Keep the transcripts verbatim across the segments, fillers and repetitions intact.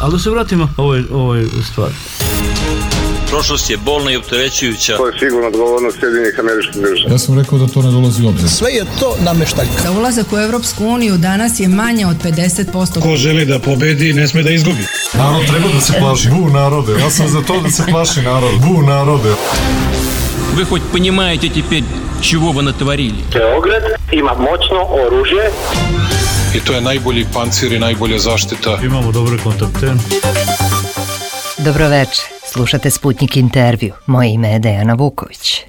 Ali da se vratimo ovoj, ovoj stvari. Prošlost je bolna i opterećujuća. To je sigurno odgovornost Sjedinjenih Američkih Država. Ja sam rekao da to ne dolazi u obzir. Sve je to nameštaljka. Za ulazak u Evropsku uniju danas je manje od pedeset posto. Ko želi da pobedi, ne sme da izgubi. Narod treba da se plaši. Bu narode. Ja sam za to da se plaši narod. Bu narode. Вы хоть понимаете теперь, чего вы натворили? Beograd ima moćno oružje. I to je najbolji pancir i najbolja zaštita. Imamo dobre kontakte. Dobroveče, slušate Sputnik intervju. Moje ime je Dejana Vuković.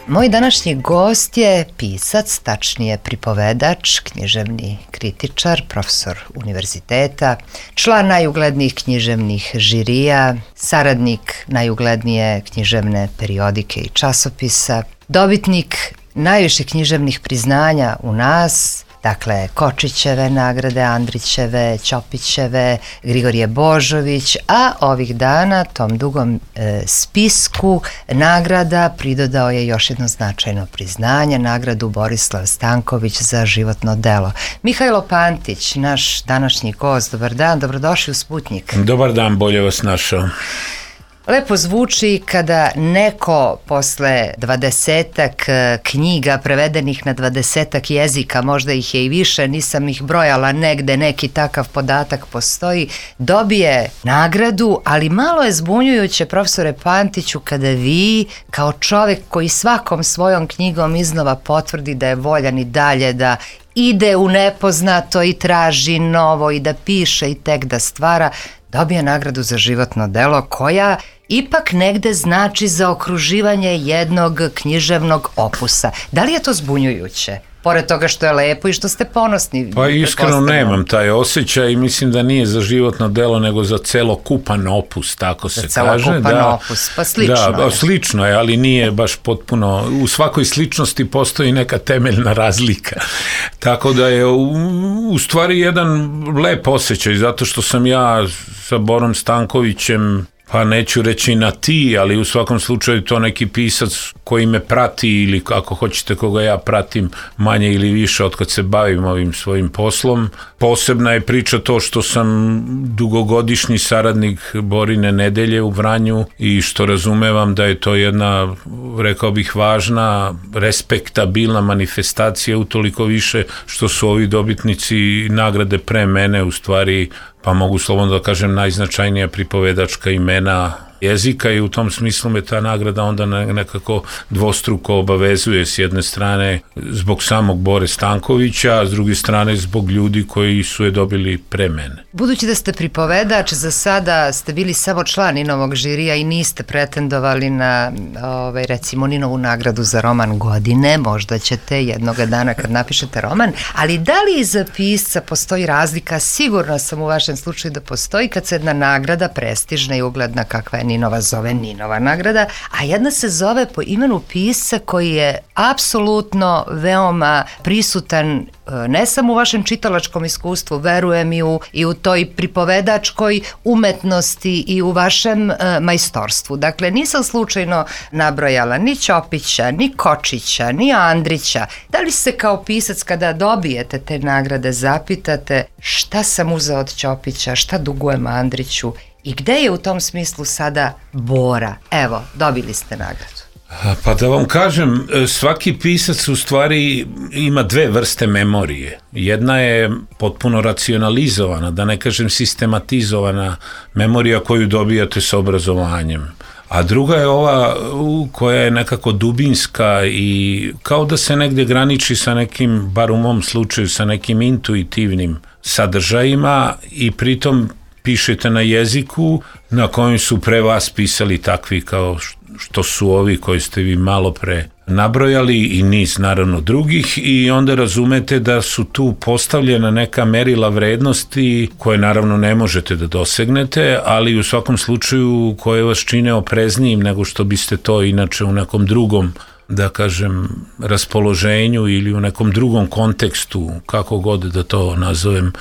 Moj današnji gost je pisac, tačnije pripovedač, književni kritičar, profesor univerziteta, član najuglednijih književnih žirija, saradnik najuglednije književne periodike i časopisa, dobitnik najviše književnih priznanja u nas, dakle Kočićeve nagrade, Andrićeve, Ćopićeve, Grigorije Božović, a ovih dana tom dugom e, spisku nagrada pridodao je još jedno značajno priznanje, nagradu Borislav Stanković za životno delo. Mihajlo Pantić, naš današnji gost, dobar dan, dobrodošli u Sputnik. Dobar dan, bolje vas našao. Lepo zvuči kada neko posle dvadesetak knjiga prevedenih na dvadesetak jezika, možda ih je i više, nisam ih brojala, negde neki takav podatak postoji, dobije nagradu, ali malo je zbunjujuće, profesore Pantiću, kada vi kao čovek koji svakom svojom knjigom iznova potvrdi da je voljan i dalje da ide u nepoznato i traži novo i da piše i tek da stvara, dobije nagradu za životno delo koja ipak negde znači zaokruživanje jednog književnog opusa. Da li je to zbunjujuće? Pored toga što je lepo i što ste ponosni. Pa iskreno nemam taj osjećaj i mislim da nije za životno delo nego za celokupan opus, tako se za kaže. Celokupan da, opus, pa slično da, je. Slično je, ali nije baš potpuno, u svakoj sličnosti postoji neka temeljna razlika. Tako da je u, u stvari jedan lep osjećaj, zato što sam ja sa Borom Stankovićem, pa neću reći na ti, ali u svakom slučaju to neki pisac koji me prati ili ako hoćete koga ja pratim manje ili više od kad se bavim ovim svojim poslom. Posebna je priča to što sam dugogodišnji saradnik Borine Nedelje u Vranju i što razumevam da je to jedna, rekao bih, važna, respektabilna manifestacija, utoliko više što su ovi dobitnici nagrade pre mene u stvari, pa mogu slobodno da kažem, najznačajnija pripovedačka imena jezika i u tom smislu me ta nagrada onda nekako dvostruko obavezuje, s jedne strane zbog samog Bore Stankovića, a s druge strane zbog ljudi koji su je dobili pre mene. Budući da ste pripovedač, za sada ste bili samo član Ninovog žirija i niste pretendovali na ovaj, recimo Ninovu nagradu za roman godine, možda ćete jednoga dana kad napišete roman, ali da li iza pisca postoji razlika? Sigurno sam u vašem slučaju da postoji kad se jedna nagrada prestižna i ugledna kakva je Ninova zove Ninova nagrada, a jedna se zove po imenu pisca koji je apsolutno veoma prisutan ne samo u vašem čitalačkom iskustvu, verujem i u, i u toj pripovedačkoj umetnosti i u vašem e, majstorstvu. Dakle, nisam slučajno nabrojala ni Ćopića, ni Kočića, ni Andrića. Da li se kao pisac kada dobijete te nagrade zapitate šta sam uzeo od Ćopića, šta dugujem Andriću i gde je u tom smislu sada Bora? Evo, dobili ste nagradu. Pa da vam kažem, svaki pisac u stvari ima dve vrste memorije. Jedna je potpuno racionalizovana, da ne kažem sistematizovana memorija koju dobijate sa obrazovanjem. A druga je ova koja je nekako dubinska i kao da se negdje graniči sa nekim, bar u mom slučaju, sa nekim intuitivnim sadržajima i pritom pišete na jeziku na kojem su pre vas pisali takvi kao što su ovi koji ste vi malo pre nabrojali i niz naravno drugih i onda razumete da su tu postavljena neka merila vrednosti koje naravno ne možete da dosegnete, ali u svakom slučaju koje vas čine opreznijim nego što biste to inače u nekom drugom, da kažem, raspoloženju ili u nekom drugom kontekstu, kako god da to nazovem,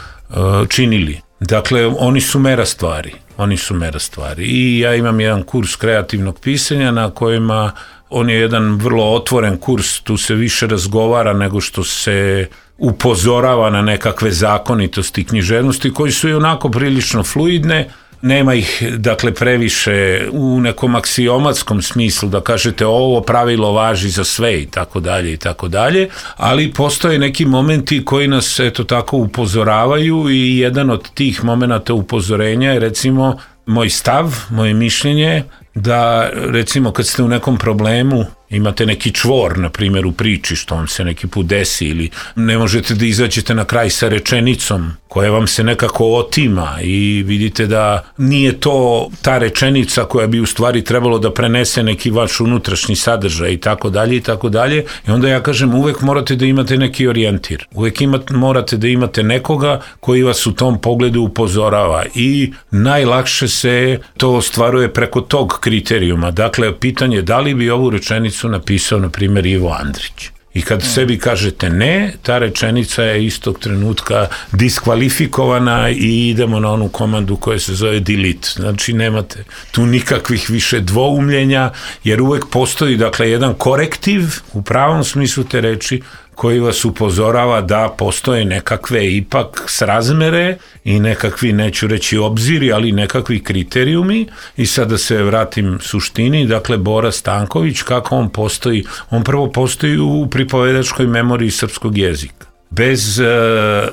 činili. Dakle, oni su mera stvari. Oni su mera stvari. I ja imam jedan kurs kreativnog pisanja na kojima on je jedan vrlo otvoren kurs, tu se više razgovara nego što se upozorava na nekakve zakonitosti književnosti koji su i onako prilično fluidne. Nema ih, dakle, previše u nekom aksiomatskom smislu da kažete ovo pravilo važi za sve i tako dalje i tako dalje, ali postoje neki momenti koji nas, eto tako, upozoravaju i jedan od tih momenata upozorenja je, recimo, moj stav, moje mišljenje da, recimo, kad ste u nekom problemu, imate neki čvor, na primjer, u priči, što vam se neki put desi, ili ne možete da izađete na kraj sa rečenicom koja vam se nekako otima i vidite da nije to ta rečenica koja bi u stvari trebalo da prenese neki vaš unutrašnji sadržaj i tako dalje i tako dalje. I onda ja kažem, uvek morate da imate neki orijentir. Uvek imate, morate da imate nekoga koji vas u tom pogledu upozorava i najlakše se to ostvaruje preko tog kriterijuma. Dakle, pitanje je da li bi ovu rečenicu napisao, na primjer, Ivo Andrić. I kad sebi kažete ne, ta rečenica je istog trenutka diskvalifikovana i idemo na onu komandu koja se zove delete. Znači, nemate tu nikakvih više dvoumljenja, jer uvek postoji, dakle, jedan korektiv u pravom smislu te reči koji vas upozorava da postoje nekakve ipak srazmere i nekakvi, neću reći obziri, ali nekakvi kriterijumi. I sad da se vratim suštini, dakle, Bora Stanković, kako on postoji? On prvo postoji u pripovedačkoj memoriji srpskog jezika. Bez uh,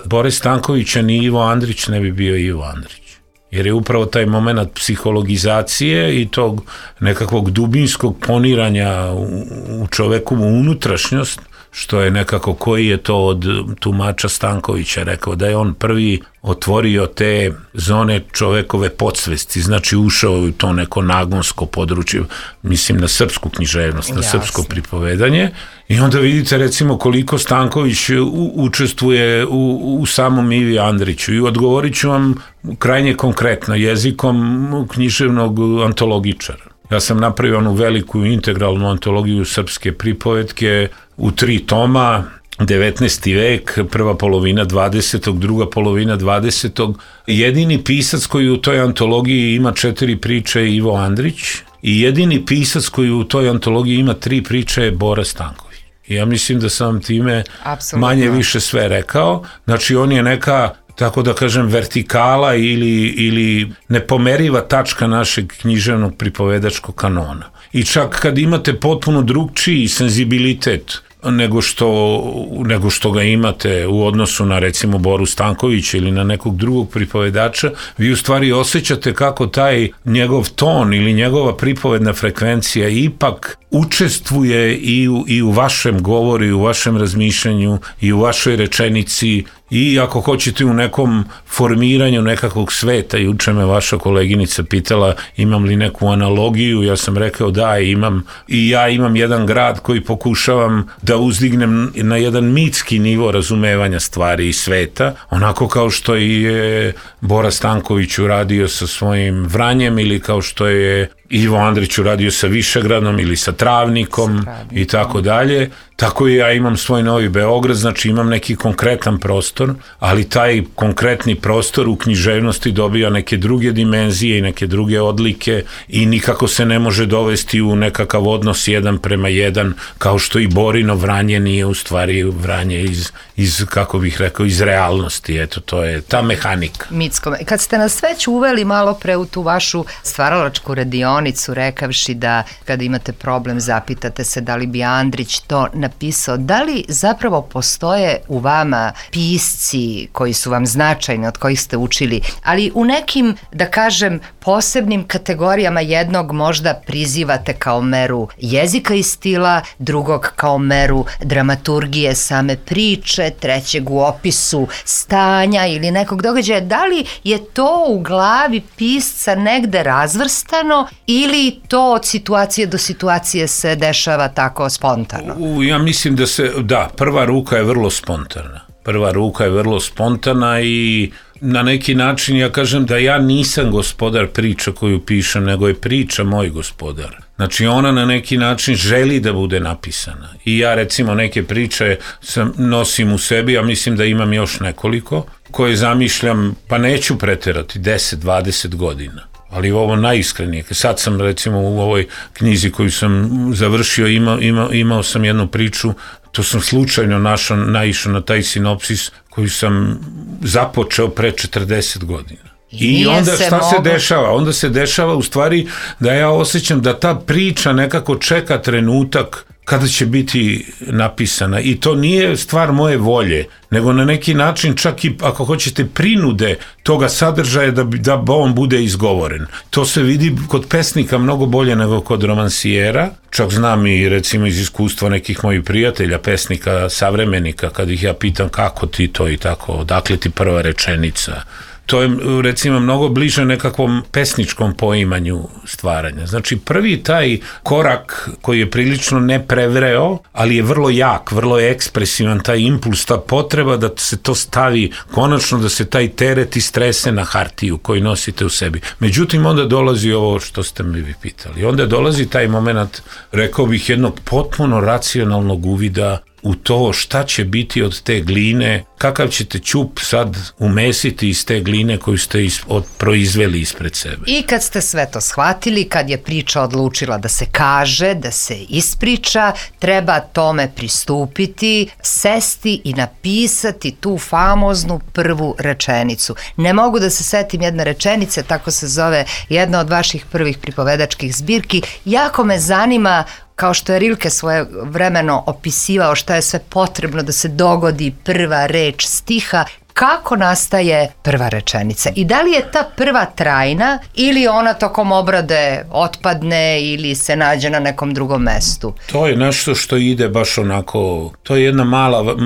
Bore Stankovića ni Ivo Andrić ne bi bio Ivo Andrić. Jer je upravo taj moment psihologizacije i tog nekakvog dubinskog poniranja u, u čovekovu unutrašnjost, što je nekako, koji je to od tumača Stankovića rekao, da je on prvi otvorio te zone čovekove podsvesti, znači ušao u to neko nagonsko područje, mislim na srpsku književnost, na Jasne. Srpsko pripovedanje, i onda vidite, recimo, koliko Stanković u, učestvuje u, u samom Ivi Andriću, i odgovorit ću vam krajnje konkretno jezikom književnog antologičara. Ja sam napravio onu veliku integralnu antologiju srpske pripovetke u tri toma, devetnaesti vek, prva polovina dvadesetog, druga polovina dvadesetog. Jedini pisac koji u toj antologiji ima četiri priče je Ivo Andrić i jedini pisac koji u toj antologiji ima tri priče je Bora Stanković. I ja mislim da sam time Absolutno. Manje više sve rekao. Znači, on je neka, tako da kažem, vertikala ili, ili nepomeriva tačka našeg književnog pripovedačkog kanona. I čak kad imate potpuno drugčiji senzibilitet nego što, nego što ga imate u odnosu na, recimo, Boru Stankovića ili na nekog drugog pripovedača, vi u stvari osjećate kako taj njegov ton ili njegova pripovedna frekvencija ipak učestvuje i u, i u vašem govoru, i u vašem razmišljanju, i u vašoj rečenici, i ako hoćete u nekom formiranju nekakvog sveta. Juče me vaša koleginica pitala imam li neku analogiju, ja sam rekao da imam, i ja imam jedan grad koji pokušavam da uzdignem na jedan mitski nivo razumevanja stvari i sveta, onako kao što je Bora Stanković uradio sa svojim Vranjem, ili kao što je Ivo Andrić uradio sa Višegradom ili sa Travnikom i tako dalje. Tako i ja imam svoj Novi Beograd, znači imam neki konkretan prostor, ali taj konkretni prostor u književnosti dobija neke druge dimenzije i neke druge odlike i nikako se ne može dovesti u nekakav odnos jedan prema jedan, kao što i Borino Vranje nije u stvari Vranje iz, iz kako bih rekao, iz realnosti. Eto, to je ta mehanika. Mitsko. Kad ste nas već uveli malo pre u tu vašu stvaralačku radionicu, rekavši da kada imate problem zapitate se da li bi Andrić to napisao, da li zapravo postoje u vama pisci koji su vam značajni, od kojih ste učili, ali u nekim, da kažem, posebnim kategorijama, jednog možda prizivate kao meru jezika i stila, drugog kao meru dramaturgije same priče, trećeg u opisu stanja ili nekog događaja. Da li je to u glavi pisca negde razvrstano ili to od situacije do situacije se dešava tako spontano? U, ja mislim da se, da, prva ruka je vrlo spontana. Prva ruka je vrlo spontana i na neki način ja kažem da ja nisam gospodar priča koju pišem, nego je priča moj gospodar. Znači, ona na neki način želi da bude napisana. I ja, recimo, neke priče sam, nosim u sebi, a mislim da imam još nekoliko, koje zamišljam, pa neću preterati, deset dvadeset godina. ali ovo najiskrenije. Sad sam recimo u ovoj knjizi koju sam završio, imao, imao, imao sam jednu priču, to sam slučajno našao, naišao na taj sinopsis koji sam započeo pre četrdeset godina. I onda šta mogu... se dešava? Onda se dešava u stvari da ja osjećam da ta priča nekako čeka trenutak kada će biti napisana i to nije stvar moje volje, nego na neki način čak i ako hoćete prinude toga sadržaja da, da on bude izgovoren. To se vidi kod pesnika mnogo bolje nego kod romansijera, čak znam i recimo iz iskustva nekih mojih prijatelja, pesnika, savremenika, kad ih ja pitam kako ti to i tako, odakle ti prva rečenica. To je recimo mnogo bliže nekakvom pesničkom poimanju stvaranja. Znači prvi taj korak koji je prilično neprevreo, ali je vrlo jak, vrlo je ekspresivan, taj impuls, ta potreba da se to stavi konačno, da se taj teret istrese na hartiju koji nosite u sebi. Međutim, onda dolazi ovo što ste mi vi pitali. Onda dolazi taj moment, rekao bih, jednog potpuno racionalnog uvida u to šta će biti od te gline, kakav ćete ćup sad umesiti iz te gline koju ste is, od, proizveli ispred sebe. I kad ste sve to shvatili, kad je priča odlučila da se kaže, da se ispriča, treba tome pristupiti, sesti i napisati tu famoznu prvu rečenicu. Ne mogu da se setim jedne rečenice, tako se zove jedna od vaših prvih pripovedačkih zbirki. Jako me zanima, kao što je Rilke svoje vremeno opisivao šta je sve potrebno da se dogodi prva reč stiha, kako nastaje prva rečenica i da li je ta prva trajna ili ona tokom obrade otpadne ili se nađe na nekom drugom mestu? To je nešto što ide baš onako, to je jedna mala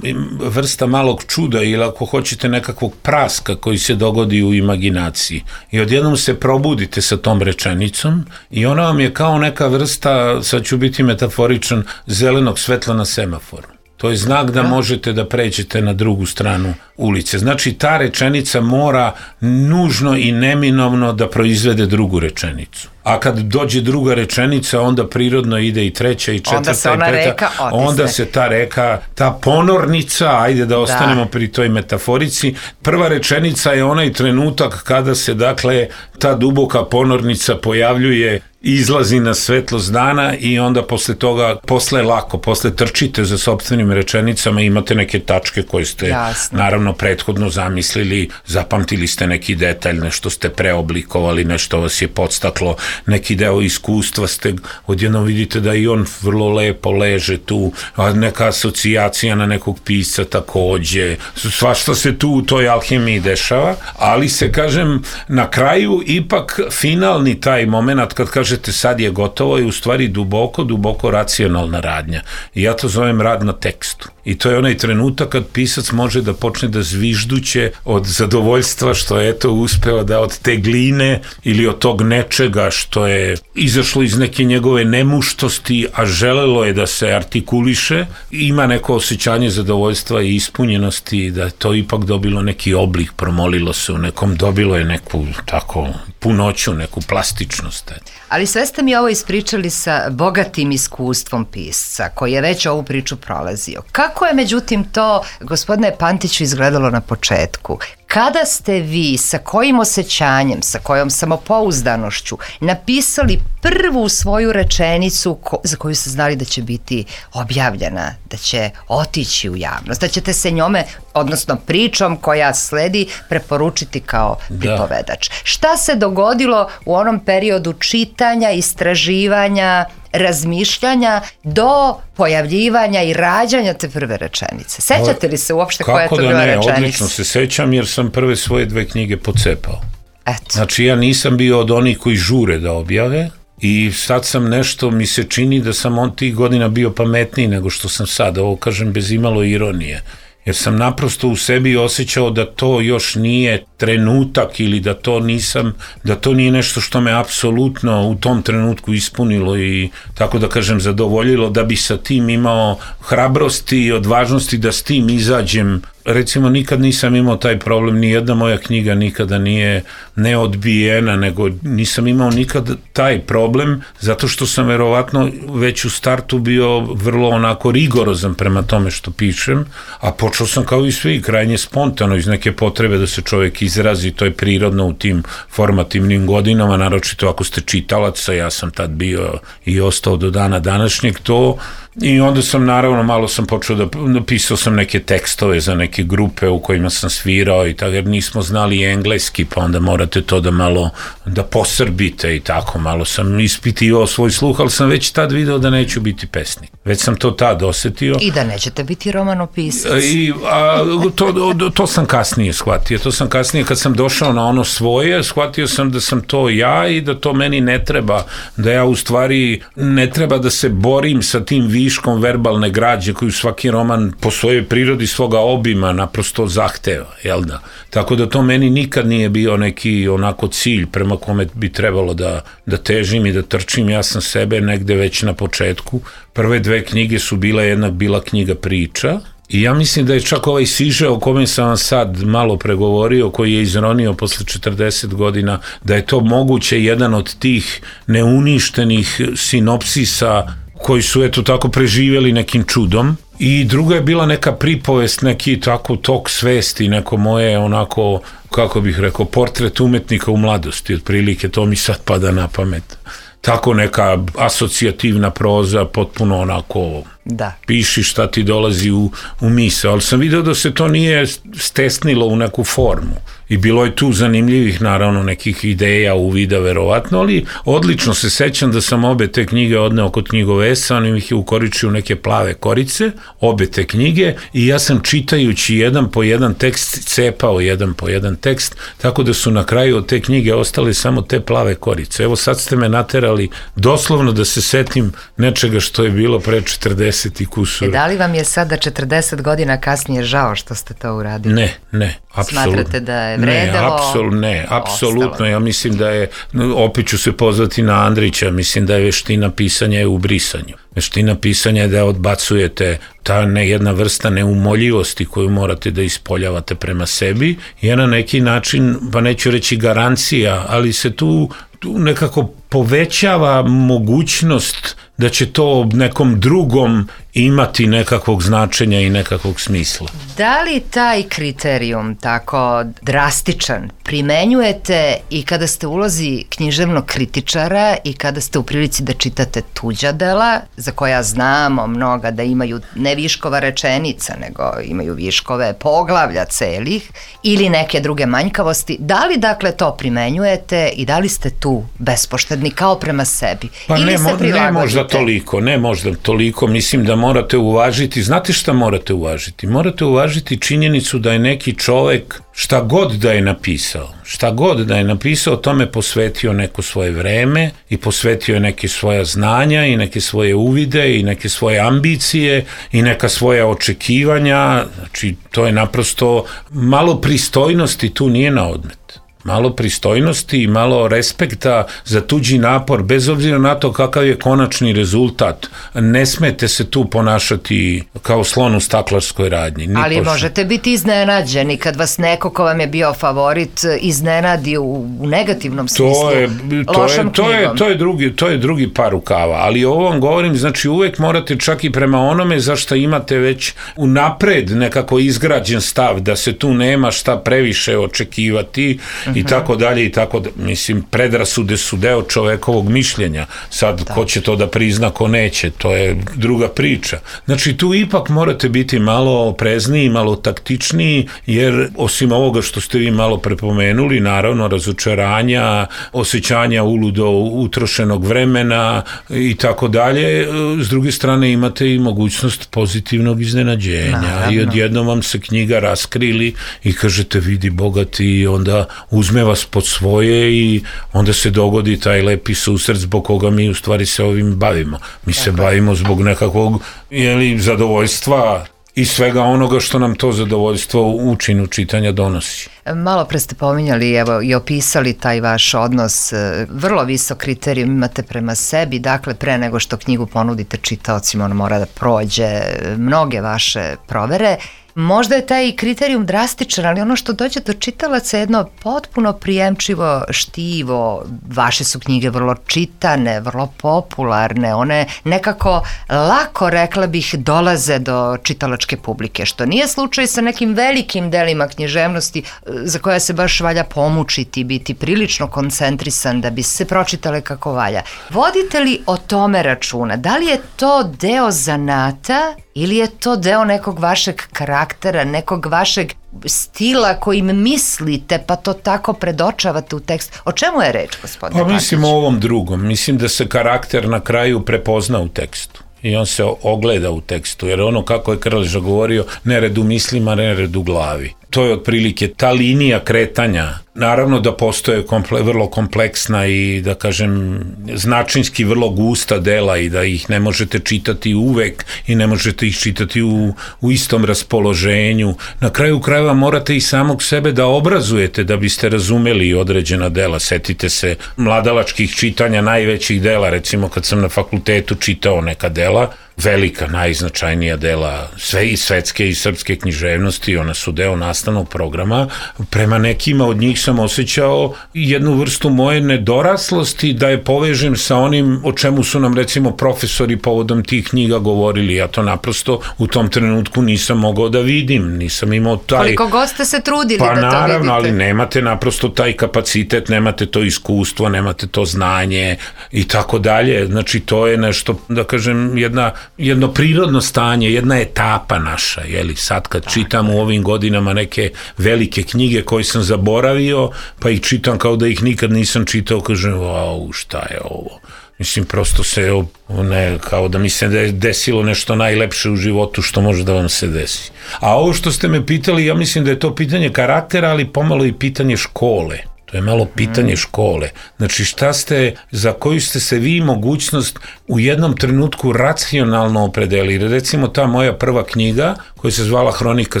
vrsta malog čuda ili ako hoćete nekakvog praska koji se dogodi u imaginaciji i odjednom se probudite sa tom rečenicom i ona vam je kao neka vrsta, sad ću biti metaforičan, zelenog svetla na semaforu. To je znak da možete da pređete na drugu stranu ulice. Znači, ta rečenica mora nužno i neminovno da proizvede drugu rečenicu. A kad dođe druga rečenica, onda prirodno ide i treća i četvrta i peta. Reka onda se ta reka, ta ponornica, ajde da ostanemo da. pri toj metaforici, prva rečenica je onaj trenutak kada se, dakle, ta duboka ponornica pojavljuje, izlazi na svetlost dana i onda posle toga, posle lako, posle trčite za sopstvenim rečenicama, imate neke tačke koje ste Jasne. naravno prethodno zamislili, zapamtili ste neki detalj, nešto ste preoblikovali, nešto vas je podstaklo, neki deo iskustva ste, odjednom vidite da i on vrlo lepo leže tu, a neka asocijacija na nekog pisca takođe, svašta se tu u toj alhemiji dešava, ali se, kažem, na kraju ipak finalni taj moment kad kažete sad je gotovo je u stvari duboko, duboko racionalna radnja. I ja to zovem rad na tekstu. I to je onaj trenutak kad pisac može da počne da zvižduće od zadovoljstva što je eto uspeo da od te gline ili od tog nečega što je izašlo iz neke njegove nemuštosti, a želelo je da se artikuliše, ima neko osjećanje zadovoljstva i ispunjenosti, da je to ipak dobilo neki oblik, promolilo se u nekom, dobilo je neku tako punoću, neku plastičnost. Ali sve ste mi ovo ispričali sa bogatim iskustvom pisca, koji je već ovu priču prolazio. Kako je međutim to, gospodine Pantiću, izgledalo na početku? Kada ste vi, sa kojim osjećanjem, sa kojom samopouzdanošću napisali prvu svoju rečenicu ko, za koju ste znali da će biti objavljena, da će otići u javnost, da ćete se njome, odnosno pričom koja sledi, preporučiti kao pripovedač? Da. Šta se dogodilo u onom periodu čitanja, istraživanja, razmišljanja do pojavljivanja i rađanja te prve rečenice? Sećate li se uopšte koja je to bila rečenica? Kako da ne, odlično se sećam jer sam prve svoje dve knjige pocepao. Eto. Znači ja nisam bio od onih koji žure da objave i sad sam nešto, mi se čini da sam on tih godina bio pametniji nego što sam sad, ovo kažem bez imalo ironije. Jer sam naprosto u sebi osjećao da to još nije trenutak ili da to nisam, da to nije nešto što me apsolutno u tom trenutku ispunilo i tako da kažem zadovoljilo, da bi sa tim imao hrabrosti i odvažnosti da s tim izađem recimo nikad nisam imao taj problem, ni jedna moja knjiga nikada nije neodbijena, nego nisam imao nikad taj problem, zato što sam verovatno već u startu bio vrlo onako rigorozan prema tome što pišem, a počeo sam kao i svi, krajnje spontano, iz neke potrebe da se čovjek izrazi, to je prirodno u tim formativnim godinama, naročito ako ste čitalac, a ja sam tad bio i ostao do dana današnjeg to, i onda sam naravno malo sam počeo da napisao sam neke tekstove za neke grupe u kojima sam svirao i tako, jer nismo znali engleski, pa onda morate to da malo da posrbite i tako, malo sam ispitivao svoj sluh, ali sam već tad video da neću biti pesnik. Već sam to tad osetio. I da nećete biti romanopisac. I, a, to, to sam kasnije shvatio, to sam kasnije kad sam došao na ono svoje, shvatio sam da sam to ja i da to meni ne treba, da ja u stvari ne treba da se borim sa tim viškom verbalne građe koju svaki roman po svojoj prirodi svoga obima naprosto zahteva, jel da? Tako da to meni nikad nije bio neki onako cilj prema kome bi trebalo da, da težim i da trčim. Ja sam sebe negde već na početku. Prve dve knjige su bile, jednak bila knjiga priča, i ja mislim da je čak ovaj siže o kome sam vam sad malo pregovorio, koji je izronio posle četrdeset godina, da je to moguće jedan od tih neuništenih sinopsisa koji su eto tako preživjeli nekim čudom. I druga je bila neka pripovest, neki tako tok svesti, neko moje onako, kako bih rekao, portret umetnika u mladosti, otprilike to mi sad pada na pamet. Tako neka asocijativna proza, potpuno onako, da. Piši šta ti dolazi u, u misao, ali sam vidio da se to nije stesnilo u neku formu. I bilo je tu zanimljivih, naravno, nekih ideja, uvida, verovatno, ali odlično se sećam da sam obe te knjige odneo kod knjigovesa, on ih je ukoričio neke plave korice, obe te knjige, i ja sam čitajući jedan po jedan tekst, cepao jedan po jedan tekst, tako da su na kraju od te knjige ostale samo te plave korice. Evo sad ste me naterali doslovno da se setim nečega što je bilo pre četrdeset i kusura. E, da li vam je sada četrdeset godina kasnije žao što ste to uradili? Ne, ne, apsolutno. Smatrate da je vredelo? Ne, apsolutno, ne, apsolutno. Ja mislim da je, opet ću se pozvati na Andrića, mislim da je veština pisanja je u brisanju. Veština pisanja je da odbacujete ta ne, jedna vrsta neumoljivosti koju morate da ispoljavate prema sebi, je na neki način, pa neću reći garancija, ali se tu, tu nekako povećava mogućnost da će to nekom drugom imati nekakvog značenja i nekakvog smisla. Da li taj kriterijum tako drastičan primenjujete i kada ste u ulozi književnog kritičara i kada ste u prilici da čitate tuđa dela, za koja znamo mnoga da imaju ne viškova rečenica, nego imaju viškove poglavlja celih ili neke druge manjkavosti, da li dakle to primenjujete i da li ste tu bespoštedni kao prema sebi? Pa ili ne, se mo, prilagodite? Ne možda toliko, ne možda toliko, mislim da morate uvažiti, znate šta morate uvažiti? Morate uvažiti činjenicu da je neki čovek, šta god da je napisao, šta god da je napisao, tome posvetio neko svoje vreme i posvetio je neke svoja znanja i neke svoje uvide i neke svoje ambicije i neka svoja očekivanja, znači to je naprosto, malo pristojnosti tu nije na odmet. Malo pristojnosti i malo respekta za tuđi napor, bez obzira na to kakav je konačni rezultat. Ne smete se tu ponašati kao slon u staklarskoj radnji. Ni Ali pošto. Možete biti iznenađeni kad vas neko ko vam je bio favorit iznenadi u, u negativnom smislu, to je, to lošom je, to je, knjigom. to je, drugi, to je drugi par rukava, ali ovo vam govorim, znači uvek morate čak i prema onome za šta imate već unapred nekako izgrađen stav, da se tu nema šta previše očekivati, i tako dalje i tako da, mislim, predrasude su deo čovekovog mišljenja. Sad, da. Ko će to da prizna, ko neće, to je druga priča. Znači, tu ipak morate biti malo oprezniji, malo taktičniji, jer osim ovoga što ste vi malo prepomenuli, naravno, razočaranja, osjećanja uludo utrošenog vremena i tako dalje, s druge strane imate i mogućnost pozitivnog iznenađenja. Naravno. I odjednom vam se knjiga raskrili i kažete, vidi bogati, i onda uzme vas pod svoje i onda se dogodi taj lepi susret zbog koga mi u stvari se ovim bavimo. Mi se Tako. bavimo zbog nekakvog jeli, zadovoljstva i svega onoga što nam to zadovoljstvo u činu čitanja donosi. Malo pre ste pominjali, evo, i opisali taj vaš odnos, vrlo visok kriterijum imate prema sebi, dakle pre nego što knjigu ponudite čitaocima, on mora da prođe mnoge vaše provere. možda je taj kriterijum drastičan, ali ono što dođe do čitalaca je jedno potpuno prijemčivo štivo. Vaše su knjige vrlo čitane, vrlo popularne, one nekako lako, rekla bih, dolaze do čitalačke publike, što nije slučaj sa nekim velikim delima književnosti za koja se baš valja pomučiti, biti prilično koncentrisan da bi se pročitale kako valja. Vodite li o tome računa? Da li je to deo zanata ili je to deo nekog vašeg karaktera, nekog vašeg stila kojim mislite pa to tako predočavate u tekst? O čemu je reč, gospodine Pa mislim o ovom drugom. Mislim da se karakter na kraju prepozna u tekstu. I on se ogleda u tekstu, jer ono kako je Krleža govorio, nered u mislima, nered u glavi. To je otprilike ta linija kretanja. Naravno da postoje komple, vrlo kompleksna i da kažem značinski vrlo gusta dela i da ih ne možete čitati uvek i ne možete ih čitati u, u istom raspoloženju. Na kraju krajeva morate i samog sebe da obrazujete da biste razumeli određena dela. Setite se mladalačkih čitanja najvećih dela, recimo kad sam na fakultetu čitao neka dela, velika, najznačajnija dela sve i svetske i srpske književnosti, ona su deo nastavnog programa. Prema nekima od njih sam osjećao jednu vrstu moje nedoraslosti da je povežem sa onim o čemu su nam recimo profesori povodom tih knjiga govorili. Ja to naprosto u tom trenutku nisam mogao da vidim, nisam imao taj... Koliko god ste se trudili pa, da to vidite. Pa naravno, ali nemate naprosto taj kapacitet, nemate to iskustvo, nemate to znanje i tako dalje. Znači to je nešto, da kažem, jedna jedno prirodno stanje, jedna etapa naša, jeli, sad kad čitam u ovim godinama neke velike knjige koje sam zaboravio, pa ih čitam kao da ih nikad nisam čitao, kažem, wow, šta je ovo? Mislim, prosto se, ne, kao da mi se desilo nešto najlepše u životu što može da vam se desi. A ovo što ste me pitali, ja mislim da je to pitanje karaktera, ali pomalo i pitanje škole. To je malo pitanje škole. Znači šta ste, za koju ste se vi mogućnost u jednom trenutku racionalno opredelili. Recimo ta moja prva knjiga koja se zvala Hronika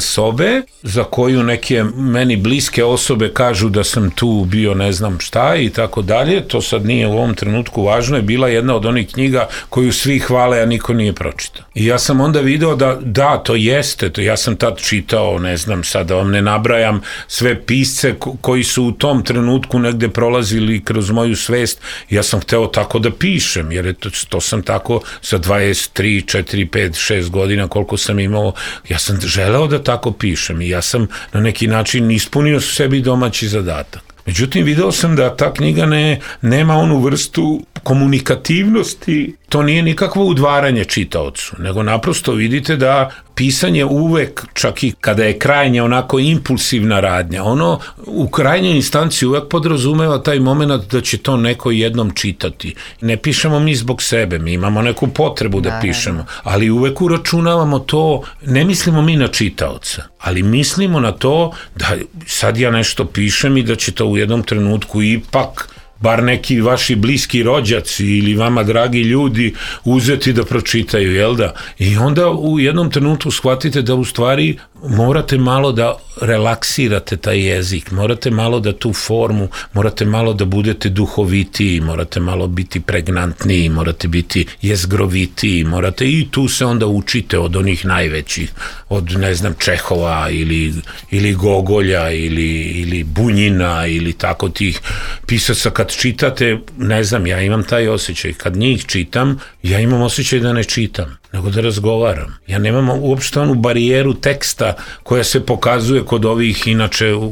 sobe, za koju neke meni bliske osobe kažu da sam tu bio ne znam šta i tako dalje, to sad nije u ovom trenutku važno, je bila jedna od onih knjiga koju svi hvale, a niko nije pročitao. I ja sam onda video da da, to jeste, to ja sam tad čitao, ne znam sad da vam ne nabrajam sve pisce koji su u tom trenutku negde prolazili kroz moju svest, ja sam hteo tako da pišem, jer je to, to sam tako sa dvadeset tri, četiri, pet, šest godina koliko sam imao, ja sam želeo da tako pišem i ja sam na neki način ispunio sebi domaći zadatak. Međutim, video sam da ta knjiga ne, nema onu vrstu komunikativnosti, to nije nikakvo udvaranje čitaocu, nego naprosto vidite da pisanje uvek, čak i kada je krajnje onako impulsivna radnja, ono u krajnjoj instanciji uvek podrazumeva taj moment da će to neko jednom čitati. Ne pišemo mi zbog sebe, mi imamo neku potrebu da pišemo, ali uvek uračunavamo to, ne mislimo mi na čitaoca, ali mislimo na to da sad ja nešto pišem i da će to u jednom trenutku ipak bar neki vaši bliski rođaci ili vama dragi ljudi uzeti da pročitaju, jel da? I onda u jednom trenutku shvatite da u stvari morate malo da relaksirate taj jezik, morate malo da tu formu, morate malo da budete duhovitiji, morate malo biti pregnantniji, morate biti jezgrovitiji, morate i tu se onda učite od onih najvećih, od ne znam Čehova ili, ili Gogolja ili, ili Bunjina ili tako tih pisaca. Kad čitate, ne znam, ja imam taj osjećaj, kad njih čitam, ja imam osjećaj da ne čitam, nego da razgovaram. Ja nemam uopšte onu barijeru teksta koja se pokazuje kod ovih inače u,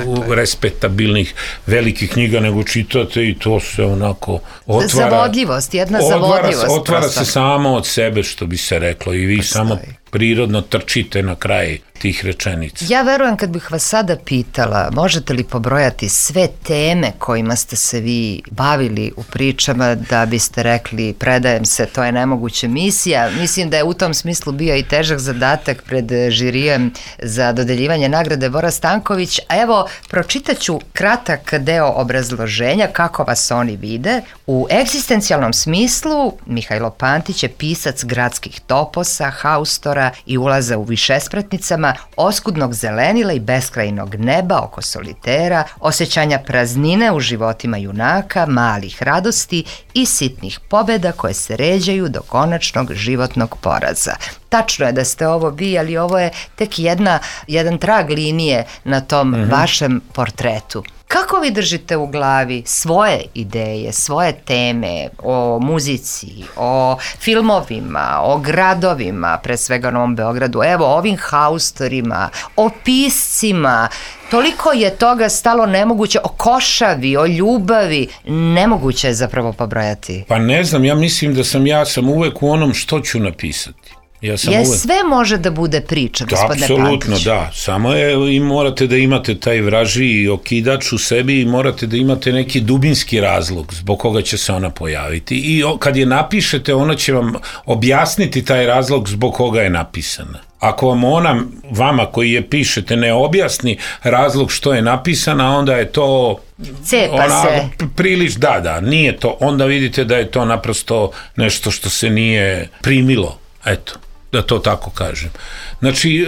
u, respektabilnih velikih knjiga, nego čitate i to se onako otvara. Zavodljivost, jedna otvara, zavodljivost. Otvara prosto. se samo od sebe, što bi se reklo, i vi Postoji. samo prirodno trčite na kraj tih rečenica. Ja verujem, kad bih vas sada pitala, možete li pobrojati sve teme kojima ste se vi bavili u pričama da biste rekli predajem se, to je nemoguća misija. Mislim da je u tom smislu bio i težak zadatak pred žirijem za dodeljivanje nagrade Bora Stanković. A evo, pročitaću kratak deo obrazloženja kako vas oni vide. U egzistencijalnom smislu Mihajlo Pantić je pisac gradskih toposa, haustora i ulaza u višespratnicama, oskudnog zelenila i beskrajnog neba oko solitera, osjećanja praznine u životima junaka, malih radosti i sitnih pobjeda koje se ređaju do konačnog životnog poraza. Tačno je da ste ovo vi, ali ovo je tek jedna, jedan trag linije na tom mm-hmm. vašem portretu. Kako vi držite u glavi svoje ideje, svoje teme o muzici, o filmovima, o gradovima, pre svega Novom Beogradu, evo ovim haustorima, o piscima, toliko je toga stalo nemoguće, o košavi, o ljubavi, nemoguće je zapravo pobrojati. Pa ne znam, ja mislim da sam ja sam uvek u onom što ću napisati. Ja sam je uvek... sve može da bude priča, gospodine Pantić. Apsolutno, da. Samo je, i morate da imate taj vražiji okidač u sebi i morate da imate neki dubinski razlog zbog koga će se ona pojaviti. I kad je napišete, ona će vam objasniti taj razlog zbog koga je napisana. Ako vam ona, vama koji je pišete, ne objasni razlog što je napisana, onda je to... Cepa ona, se. Prilič, da, da, nije to. Onda vidite da je to naprosto nešto što se nije primilo. Eto, da to tako kažem. Znači,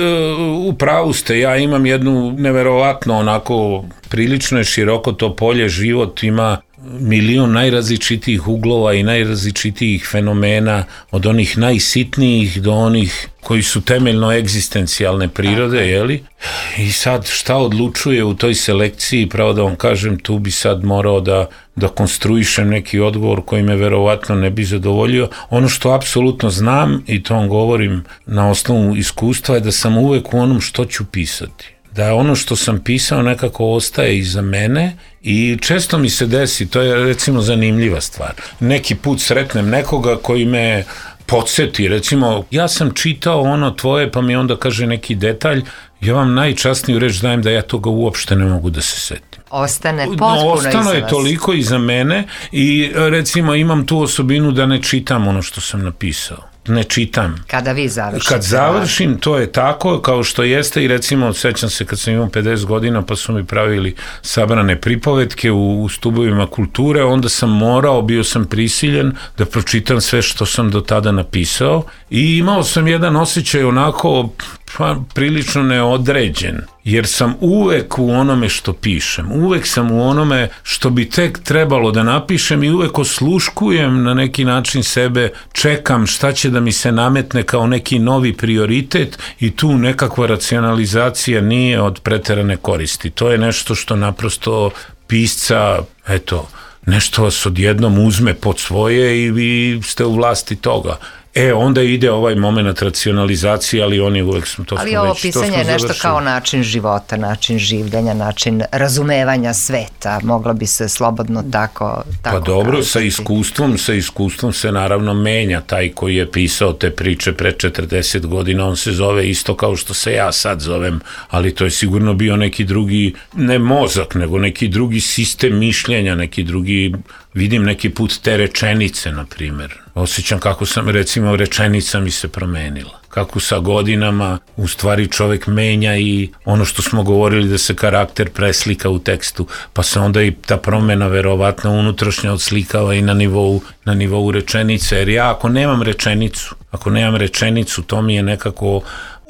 u pravu ste, ja imam jednu neverovatno onako, prilično je široko to polje, život ima milion najrazličitijih uglova i najrazličitijih fenomena, od onih najsitnijih do onih koji su temeljno egzistencijalne prirode, jeli? I sad šta odlučuje u toj selekciji, pravo da vam kažem, tu bi sad morao da, da konstruišem neki odgovor koji me verovatno ne bi zadovoljio. Ono što apsolutno znam, i to vam govorim na osnovu iskustva, je da sam uvek u onom što ću pisati. Da ono što sam pisao nekako ostaje iza mene i često mi se desi, to je recimo zanimljiva stvar. Neki put sretnem nekoga koji me podsjeti, recimo ja sam čitao ono tvoje pa mi onda kaže neki detalj, ja vam najčasniju reč dajem da ja toga uopšte ne mogu da se setim. Ostane potpuno no, ostano iza je vas. Toliko iza mene i recimo imam tu osobinu da ne čitam ono što sam napisao. Ne čitam. Kada vi završite. Kad završim, to je tako kao što jeste i recimo, sećam se kad sam imao pedeset godina pa su mi pravili sabrane pripovetke u, u stubovima kulture, onda sam morao, bio sam prisiljen da pročitam sve što sam do tada napisao i imao sam jedan osjećaj onako pa, prilično neodređen, jer sam uvek u onome što pišem, uvek sam u onome što bi tek trebalo da napišem i uvek osluškujem na neki način sebe, čekam šta će da mi se nametne kao neki novi prioritet i tu nekakva racionalizacija nije od preterane koristi. To je nešto što naprosto pisca, eto, nešto vas odjednom uzme pod svoje i vi ste u vlasti toga. E, onda ide ovaj moment racionalizacije, ali oni uvek smo to ali smo ovo već, pisanje je nešto završili. kao način života, način življenja, način razumevanja sveta, moglo bi se slobodno tako, tako Pa dobro, kazati. sa iskustvom, sa iskustvom se naravno menja. Taj koji je pisao te priče pre četrdeset godina, on se zove isto kao što se ja sad zovem, ali to je sigurno bio neki drugi, ne mozak, nego neki drugi sistem mišljenja, neki drugi, vidim neki put te rečenice, na primjer. Osjećam kako sam, recimo, rečenica mi se promenila. Kako sa godinama u stvari čovjek menja i ono što smo govorili da se karakter preslika u tekstu, pa se onda i ta promjena verovatno unutrašnja odslikava i na nivou, na nivou rečenice. Jer ja ako nemam rečenicu, ako nemam rečenicu, to mi je nekako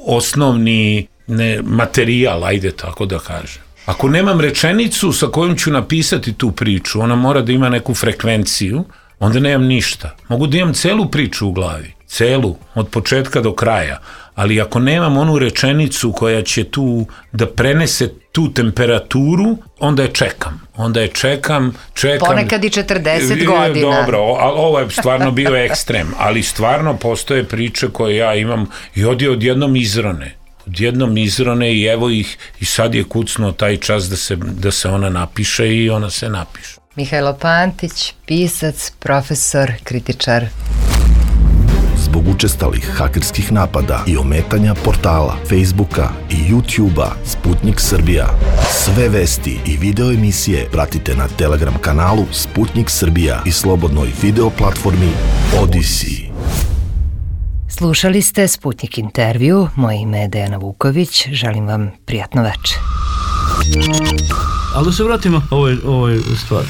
osnovni ne, materijal, ajde tako da kažem. Ako nemam rečenicu sa kojom ću napisati tu priču, ona mora da ima neku frekvenciju, onda nemam ništa. Mogu da imam celu priču u glavi, celu, od početka do kraja, ali ako nemam onu rečenicu koja će tu da prenese tu temperaturu, onda je čekam. Onda je čekam, čekam. Ponekad i četrdeset godina. Dobro, ovo je stvarno bio ekstrem, ali stvarno postoje priče koje ja imam i odje odjednom izrone. Odjednom izrone i evo ih i sad je kucnuo taj čas da se, da se ona napiše i ona se napiše. Mihajlo Pantić, pisac, profesor, kritičar. Zbog učestalih hakerskih napada i ometanja portala, Facebooka i YouTubea Sputnik Srbija. Sve vesti i video emisije pratite na Telegram kanalu Sputnik Srbija i slobodnoj video platformi Odyssey. Slušali ste Sputnik intervju, moje ime je Dejana Vuković, želim vam prijatno večer. Ali da se vratimo ovoj, ovoj stvari.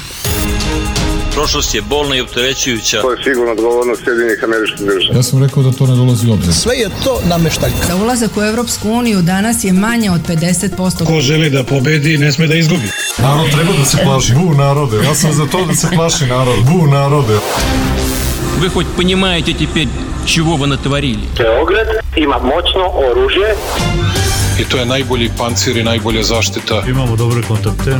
Prošlost je bolna i opterećujuća. To je sigurno odgovornost Sjedinjenih Američkih Država. Ja sam rekao da to ne dolazi u obzir. Sve je to nameštaljka. Za ulazak u Evropsku uniju danas je manje od pedeset posto. Ko želi da pobedi, ne sme da izgubi. Narod treba da se plaši. Bu narode. Ja sam za to da se plaši narod. Bu narode. Вы хоть понимаете теперь, чего вы натворили? Beograd ima moćno oružje. I to je najbolji pancir i najbolja zaštita. Imamo dobre kontakte.